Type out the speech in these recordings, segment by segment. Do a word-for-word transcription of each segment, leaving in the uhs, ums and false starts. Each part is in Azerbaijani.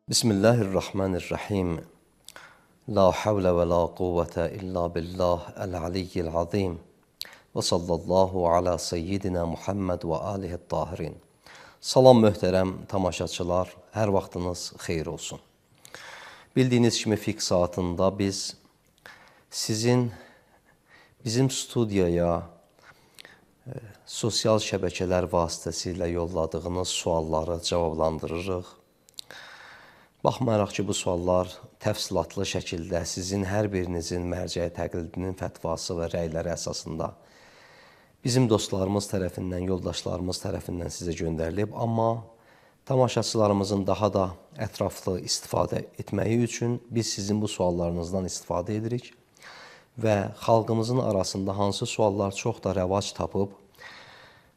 Bismillahirrahmanirrahim. La havle ve la kuvvete illa billah el-aliyyil azim. Və sallallahu ala seyyidina Muhammed və alihi tahirin. Salam möhtərəm tamaşaçılar, hər vaxtınız xeyir olsun. Bildiyiniz kimi fiqh saatında biz sizin bizim studiyaya e, sosial şəbəkələr vasitəsilə yolladığınız sualları cavablandırırıq. Baxmayaraq ki, bu suallar təfsilatlı şəkildə sizin hər birinizin mərcəyə təqlidinin fətvası və rəyləri əsasında bizim dostlarımız tərəfindən, yoldaşlarımız tərəfindən sizə göndərilib. Amma tamaşaçılarımızın daha da ətraflı istifadə etməyi üçün biz sizin bu suallarınızdan istifadə edirik və xalqımızın arasında hansı suallar çox da rəvac tapıb,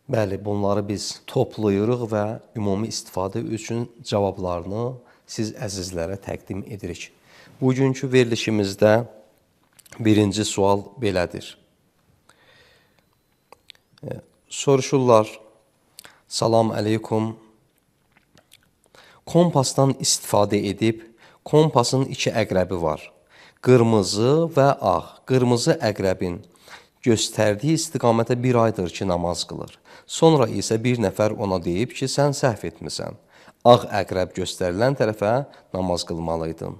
bəli, bunları biz toplayırıq və ümumi istifadə üçün cavablarını siz əzizlərə təqdim edirik. Bugünkü verilişimizdə birinci sual belədir. E, soruşurlar, salam əleykum, kompasdan istifadə edib, kompasın iki əqrəbi var. Qırmızı və ağ. Qırmızı əqrəbin göstərdiyi istiqamətə bir aydır ki, namaz qılır. Sonra isə bir nəfər ona deyib ki, sən səhv etmisən. Ağ əqrəb göstərilən tərəfə namaz qılmalıydın.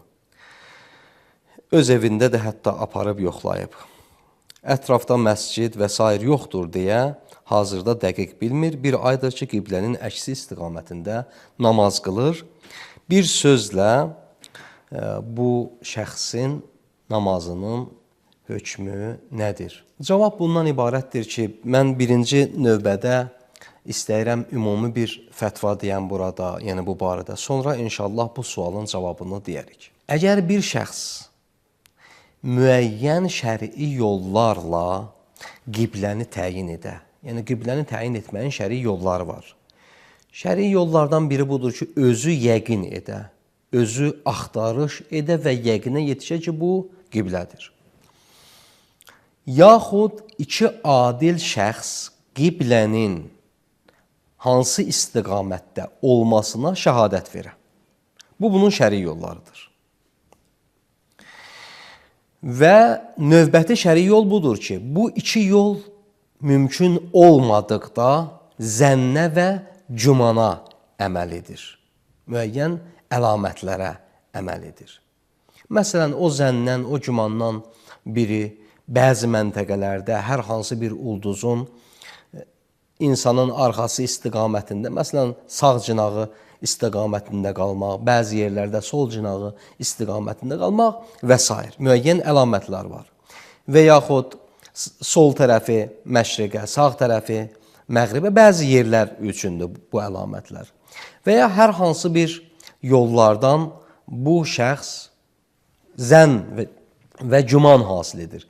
Öz evində də hətta aparıb yoxlayıb. Ətrafda məscid və s. yoxdur deyə hazırda dəqiq bilmir. Bir aydır ki, qiblənin əksi istiqamətində namaz qılır. Bir sözlə bu şəxsin namazının hökmü nədir? Cavab bundan ibarətdir ki, mən birinci növbədə İstəyirəm ümumi bir fətva deyəm burada, yəni bu barədə. Sonra inşallah bu sualın cavabını deyərik. Əgər bir şəxs müəyyən şərii yollarla qibləni təyin edə, yəni qibləni təyin etməyin şərii yolları var. Şərii yollardan biri budur ki, özü yəqin edə, özü axtarış edə və yəqinə yetişə ki, bu qiblədir. Yaxud iki adil şəxs qiblənin hansı istiqamətdə olmasına şəhadət verə. Bu, bunun şərii yollarıdır. Və növbəti şərii yol budur ki, bu iki yol mümkün olmadıqda zənnə və cümana əməl edir. Müəyyən əlamətlərə əməl edir. Məsələn, o zəndən, o cümandan biri bəzi məntəqələrdə hər hansı bir ulduzun insanın arxası istiqamətində, məsələn, sağ cinağı istiqamətində qalmaq, bəzi yerlərdə sol cinağı istiqamətində qalmaq və s. müəyyən əlamətlər var. Və yaxud sol tərəfi məşriqə, sağ tərəfi məğribə, bəzi yerlər üçündür bu əlamətlər. Və ya hər hansı bir yollardan bu şəxs zənn və, və güman hasil edir.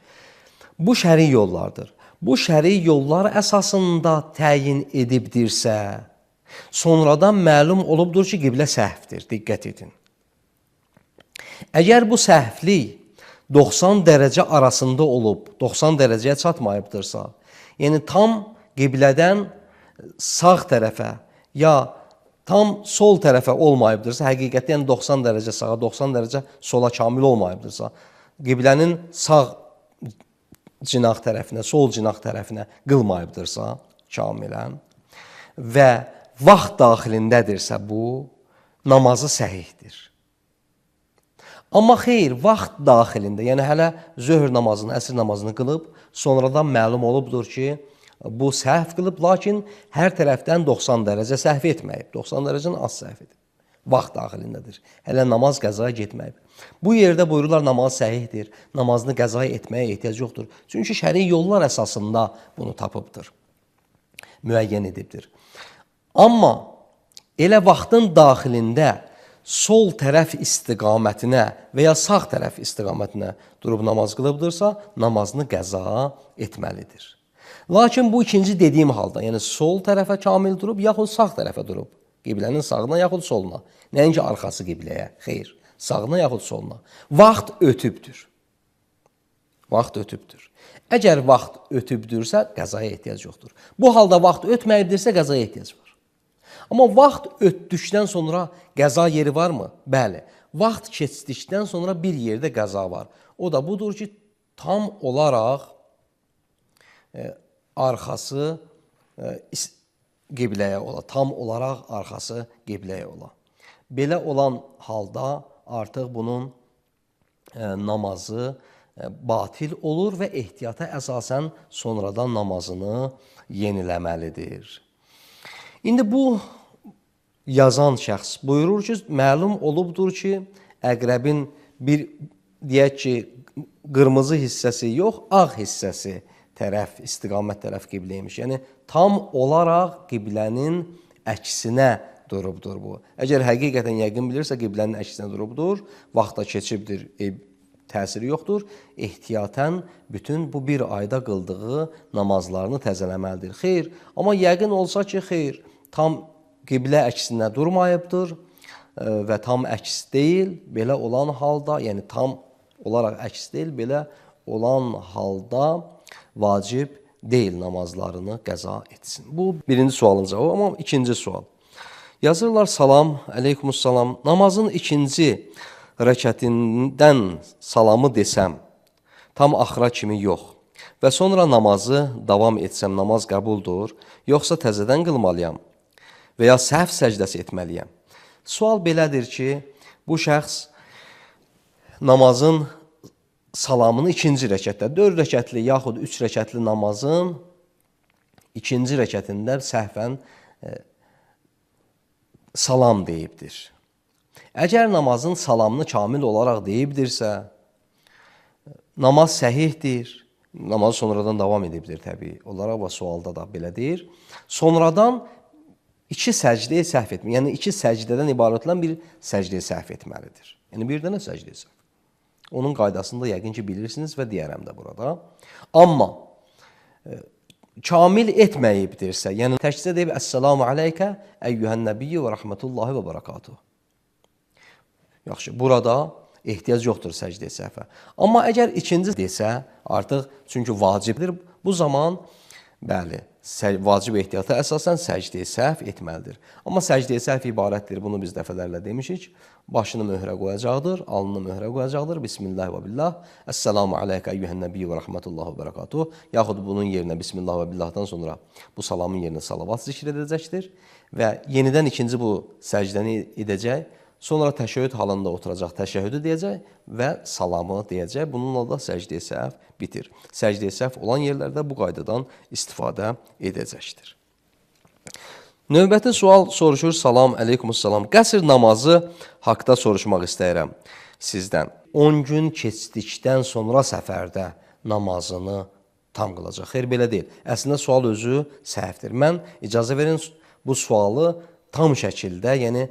Bu şərii yollardır. Bu şərii yollar əsasında təyin edibdirsə, sonradan məlum olubdur ki, qiblə səhvdir. Diqqət edin. Əgər bu səhvlik doxsan dərəcə arasında olub, doxsan dərəcəyə çatmayıbdırsa, yəni tam qiblədən sağ tərəfə ya tam sol tərəfə olmayıbdırsa, həqiqətən doxsan dərəcə sağa, doxsan dərəcə sola kamil olmayıbdırsa, qiblənin sağ cinaq tərəfinə, sol cinaq tərəfinə qılmayıbdırsa, kamilən və vaxt daxilindədirsə bu, namazı səhihdir. Amma xeyr, vaxt daxilində, yəni hələ zöhr namazını, əsr namazını qılıb, sonradan məlum olubdur ki, bu səhv qılıb, lakin hər tərəfdən doxsan dərəcə səhv etməyib, doxsan dərəcəni az səhv edib. Vaxt daxilindədir. Hələ namaz qəzaya getməyib. Bu yerdə buyururlar, namaz səhihdir, namazını qəzaya etməyə ehtiyac yoxdur. Çünki şərii yollar əsasında bunu tapıbdır, müəyyən edibdir. Amma elə vaxtın daxilində sol tərəf istiqamətinə və ya sağ tərəf istiqamətinə durub namaz qılıbdırsa, namazını qəza etməlidir. Lakin bu ikinci dediyim halda, yəni sol tərəfə kamil durub, yaxud sağ tərəfə durub, qiblənin sağına yaxud soluna, nəinki arxası qibləyə, xeyr, sağına yaxud soluna. Vaxt ötübdür. Vaxt ötübdür. Əgər vaxt ötübdürsə, qəzaya ehtiyac yoxdur. Bu halda vaxt ötməyibdirsə, qəzaya ehtiyac var. Amma vaxt ötdükdən sonra qəza yeri varmı? Bəli. Vaxt keçdikdən sonra bir yerdə qəza var. O da budur ki, tam olaraq e, arxası e, qibləyə ola. Tam olaraq arxası qibləyə ola. Belə olan halda artıq bunun e, namazı e, batil olur və ehtiyata əsasən sonradan namazını yeniləməlidir. İndi bu yazan şəxs buyurur ki, məlum olubdur ki, əqrəbin bir, deyək ki, qırmızı hissəsi yox, ağ hissəsi tərəf, istiqamət tərəf qibləymiş. Yəni, tam olaraq qiblənin əksinə durubdur bu. Əgər həqiqətən yəqin bilirsə, qiblənin əksinə durubdur, vaxta keçibdir, e, təsiri yoxdur. Ehtiyatən bütün bu bir ayda qıldığı namazlarını təzələməlidir. Xeyr, amma yəqin olsa ki, xeyr, tam qiblə əksinə durmayıbdır və tam əks deyil, belə olan halda, yəni tam olaraq əks deyil, belə olan halda vacib deyil namazlarını qəza etsin. Bu birinci sualın cavabı, amma ikinci sual. Yazırlar, salam, əleykumussalam, namazın ikinci rəkətindən salamı desəm, tam axıra kimi yox və sonra namazı davam etsəm, namaz qəbuldur, yoxsa təzədən qılmalıyam və ya səhv səcdəsi etməliyəm. Sual belədir ki, bu şəxs namazın salamını ikinci rəkətdə, dörd rəkətli yaxud üç rəkətli namazın ikinci rəkətində səhvən e, salam deyibdir. Əgər namazın salamını kamil olaraq deyibdirsə, namaz səhihdir, namaz sonradan davam edibdir təbii olaraq və sualda da belə deyir. Sonradan iki səcdəyə səhv etmək, yəni iki səcdədən ibarət olan bir səcdəyə səhv etməlidir. Yəni bir dənə səcdəyə səhv. Onun qaydasını da yəqin ki bilirsiniz və deyərəm də burada. Amma e, kamil etməyibdirsə, yəni təkcə deyib Əssalamu aleykə əyyuhən nəbiyyə və rəhmətullahi və barakatuhu. Yaxşı, burada ehtiyac yoxdur səcdəyə səhvə. Amma əgər ikinci desə, artıq çünki vacibdir, bu zaman bəli, vacib ehtiyata əsasən səcdəyə səhv etməlidir. Amma səcdəyə səhv ibarətdir, bunu biz dəfələrlə demişik. Başını möhrə qoyacaqdır, alnını möhrə qoyacaqdır. Bismillah və billah. Əssalamu aleykə əyyuhən nəbiyyə və rəhmətullah və barakatuhu. Yaxud bunun yerinə Bismillah və billahdan sonra bu salamın yerinə salavat zikr edəcəkdir. Və yenidən ikinci bu səcdəni edəcək. Sonra təşəhhüd halında oturacaq, təşəhhüdü deyəcək və salamı deyəcək. Bununla da səcdəyə səhv bitir. Səcdəyə səhv olan yerlərdə bu qaydadan istifadə edəcəkdir. Növbəti sual soruşur, salam, əleykumussalam. Qəsr namazı haqda soruşmaq istəyirəm sizdən. on gün keçdikdən sonra səfərdə namazını tam qılacaq. Xeyr, belə deyil. Əslində sual özü səhvdir. Mən icazə verin bu sualı tam şəkildə, yəni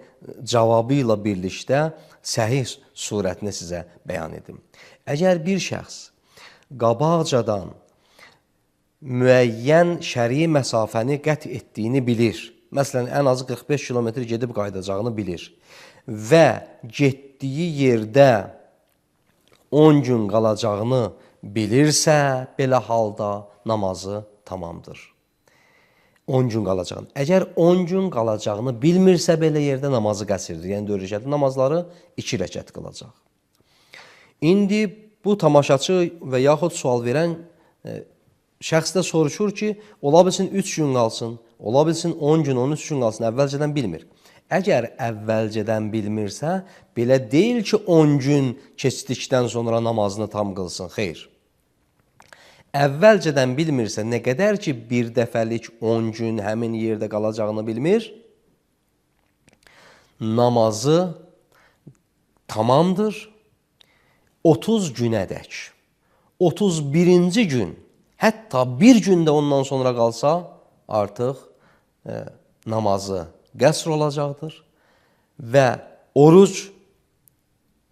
cavabı ilə birlikdə səhih surətini sizə bəyan edim. Əgər bir şəxs qabaqcadan müəyyən şəri məsafəni qət etdiyini bilir, məsələn, ən azı qırx beş kilometr gedib qayıdacağını bilir və getdiyi yerdə on gün qalacağını bilirsə, belə halda namazı tamamdır. on gün qalacağını. Əgər on gün qalacağını bilmirsə belə yerdə namazı qəsrdir. Yəni dörd rəkətli namazları iki rəkət qılacaq. İndi bu tamaşaçı və yaxud sual verən e, şəxs də soruşur ki, ola bilsin üç gün qalsın, ola bilsin on gün, on üç gün qalsın, əvvəlcədən bilmir. Əgər əvvəlcədən bilmirsə, belə deyil ki, on gün keçdikdən sonra namazını tam qılsın. Xeyr. Əvvəlcədən bilmirsə, nə qədər ki, bir dəfəlik on gün həmin yerdə qalacağını bilmir, namazı tamamdır. otuz günədək, otuz birinci gün, hətta bir gündə ondan sonra qalsa, artıq e, namazı qəsr olacaqdır və oruc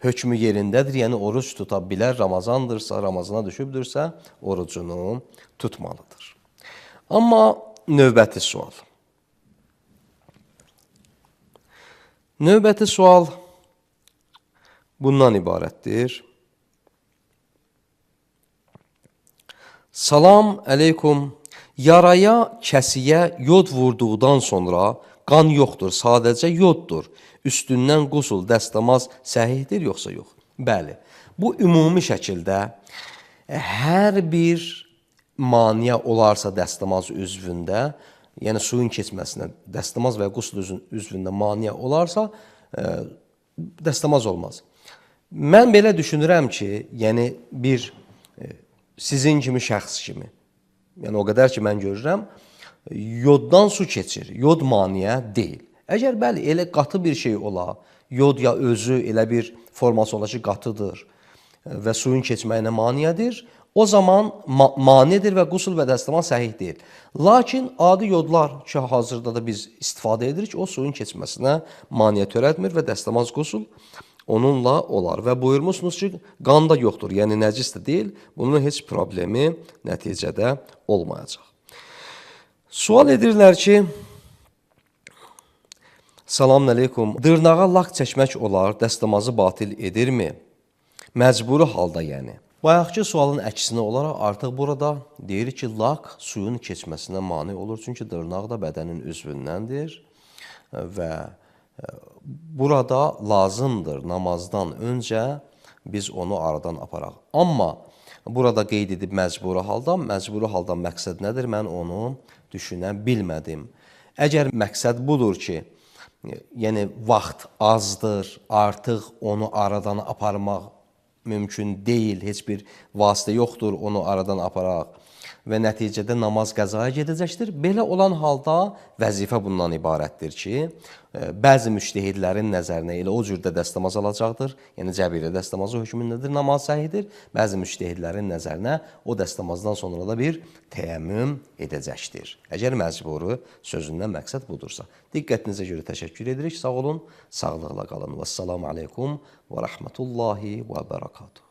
hökmü yerindədir, yəni oruc tuta bilər, Ramazandırsa, Ramazana düşübdürsə, orucunu tutmalıdır. Amma növbəti sual. Növbəti sual bundan ibarətdir. Salam əleykum. Yaraya, kəsiyə yod vurduqdan sonra qan yoxdur, sadəcə yoddur. Üstündən qusul, dəstəmaz səhihdir, yoxsa yox? Bəli, bu ümumi şəkildə hər bir maniyə olarsa dəstəmaz üzvündə, yəni suyun keçməsinə dəstəmaz və qusul üzvündə maniyə olarsa, ə, dəstəmaz olmaz. Mən belə düşünürəm ki, yəni bir ə, sizin kimi şəxs kimi, yəni o qədər ki mən görürəm, yoddan su keçir, yod maniyə deyil. Əgər bəli, elə qatı bir şey ola, yod ya özü elə bir forması ola ki, qatıdır və suyun keçməyinə maniyədir, o zaman ma manidir və qusul və dəstəmaz səhih deyil. Lakin adi yodlar ki, hazırda da biz istifadə edirik, o suyun keçməsinə maniyə törətmir və dəstəmaz qusul onunla olar. Və buyurmuşsunuz ki, qan da yoxdur, yəni nəcis də deyil, bunun heç problemi nəticədə olmayacaq. Sual edirlər ki, Salamün əleykum, dırnağa lak çəkmək olar, dəstəmazı batil edirmi? Məcburi halda yəni. Bayaqki sualın əksinə olaraq artıq burada deyir ki, lak suyun keçməsinə mane olur. Çünki dırnaq da bədənin üzvündəndir və burada lazımdır namazdan öncə biz onu aradan aparaq. Amma burada qeyd edib məcburi halda, məcburi halda məqsəd nədir? Mən onu düşünə bilmədim. Əgər məqsəd budur ki, yəni vaxt azdır, artıq onu aradan aparmaq mümkün deyil, heç bir vasitə yoxdur onu aradan aparaq və nəticədə namaz qəzaya gedəcəkdir. Belə olan halda vəzifə bundan ibarətdir ki, bəzi müştəhidlərin nəzərinə elə o cürdə dəstəmaz alacaqdır, yəni cəbirə dəstəmazı hökmündədir, namaz səhidir. Bəzi müştəhidlərin nəzərinə o dəstəmazdan sonra da bir təyəmmüm edəcəkdir. Əgər məcburi sözündən məqsəd budursa. Diqqətinizə görə təşəkkür edirik, sağ olun, sağlıqla qalın. Vəssalamu aleykum və rəhmətullahi və bərəkatuhu.